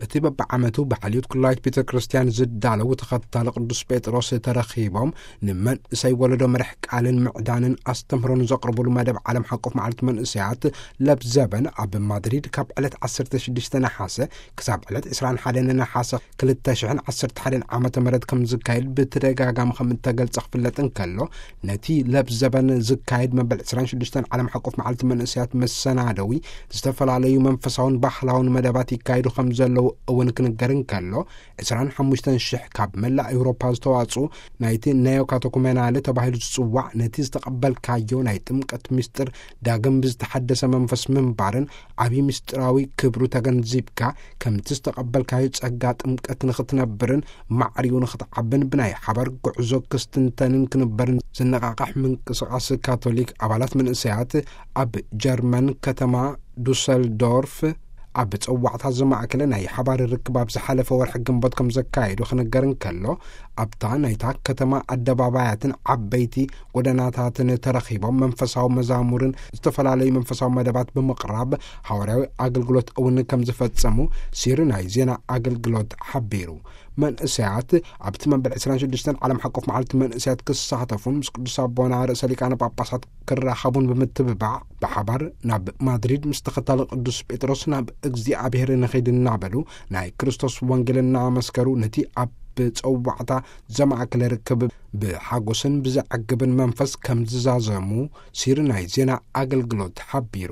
እቲ በብዓመቱ ብሓልዮት ኩላይት ቤተ ክርስቲያን ዝዳለው ተኸታሊ ቅዱስ ጴጥሮስ ተረኺቦም ንመንእሰይ ወለዶ መርሕ ቃልን ምዕዳንን ኣስተምህሮን ዘቕርቡሉ መደብ ዓለም ሓቆፍ መዓልቲ መንእሰያት ለብዘበን ኣብ ማድሪድ ካብ ዕለት ዓሰርተ ሽዱሽተ ነሓሰ ክሳብ ዕለት ዕስራን ሓደን ነሓሰ ክልተ ሽሕን ዓሰርተ ሓደን ዓመተ ምህረት ከም ዝካየድ ብተደጋጋሚ ከም እተገልጸ ክፍለጥ እንከሎ፣ ነቲ ለብዘበን ዝካየድ መበል ዕስራን ሽዱሽተን ዓለም ሓቆፍ መዓልቲ መንእሰያት መሰናደዊ ዝተፈላለዩ መንፈሳውን ባህላውን መደባት ይካየዱ ከም ዘለዉ እውን ክንገር እንከሎ፣ ዕስራን ሓሙሽተን ሽሕ ካብ መላእ ኤውሮፓ ዝተዋጽኡ ናይቲ ነዮ ካተኩመናለ ተባሂሉ ዝጽዋዕ ነቲ ዝተቐበልካዮ ናይ ጥምቀት ምስጢር ዳግም ብዝተሓደሰ መንፈስ ምንባርን ዓብዪ ምስጢራዊ ክብሩ ተገንዚብካ ከምቲ ዝተቐበልካዮ ጸጋ ጥምቀት ንኽትነብርን ማዕሪኡ ንኽትዓብን ብናይ ሓባር ጉዕዞ ክስትንተንን ክንበርን ዝነቓቕሕ ምንቅስቓስ ካቶሊክ ኣባላት መንእሰያት ኣብ ጀርመን ከተማ ዱሰልዶርፍ ኣብ ጸዋዕታ ዘማእከለ ናይ ሓባር ርክብ ኣብ ዝሓለፈ ወርሒ ግንቦት ከም ዘካየዱ ክንገር እንከሎ፣ ኣብታ ናይታ ከተማ ኣደባባያትን ዓበይቲ ጎደናታትን ተረኺቦም መንፈሳዊ መዛሙርን ዝተፈላለዩ መንፈሳዊ መደባት ብምቕራብ ሃዋርያዊ ኣገልግሎት እውን ከም ዝፈጸሙ ሲሪ ናይ ዜና ኣገልግሎት ሓቢሩ። መንእሰያት ኣብቲ መበል ዕስራን ሽዱሽተን ዓለም ሓቆፍ መዓልቲ መንእሰያት ክሳተፉን ምስ ቅዱስ ኣቦና ርእሰ ሊቃነ ጳጳሳት ክራኸቡን ብምትብባዕ ብሓባር ናብ ማድሪድ ምስ ተኸታሊ ቅዱስ ጴጥሮስ ናብ እግዚኣብሔር ንኸይድ እናበሉ ናይ ክርስቶስ ወንጌል እናመስከሩ ነቲ ኣብ ጸዋዕታ ዘማእከለ ርክብ ብሓጎስን ብዘዕግብን መንፈስ ከም ዝዛዘሙ ሲሪ ናይ ዜና ኣገልግሎት ሓቢሩ።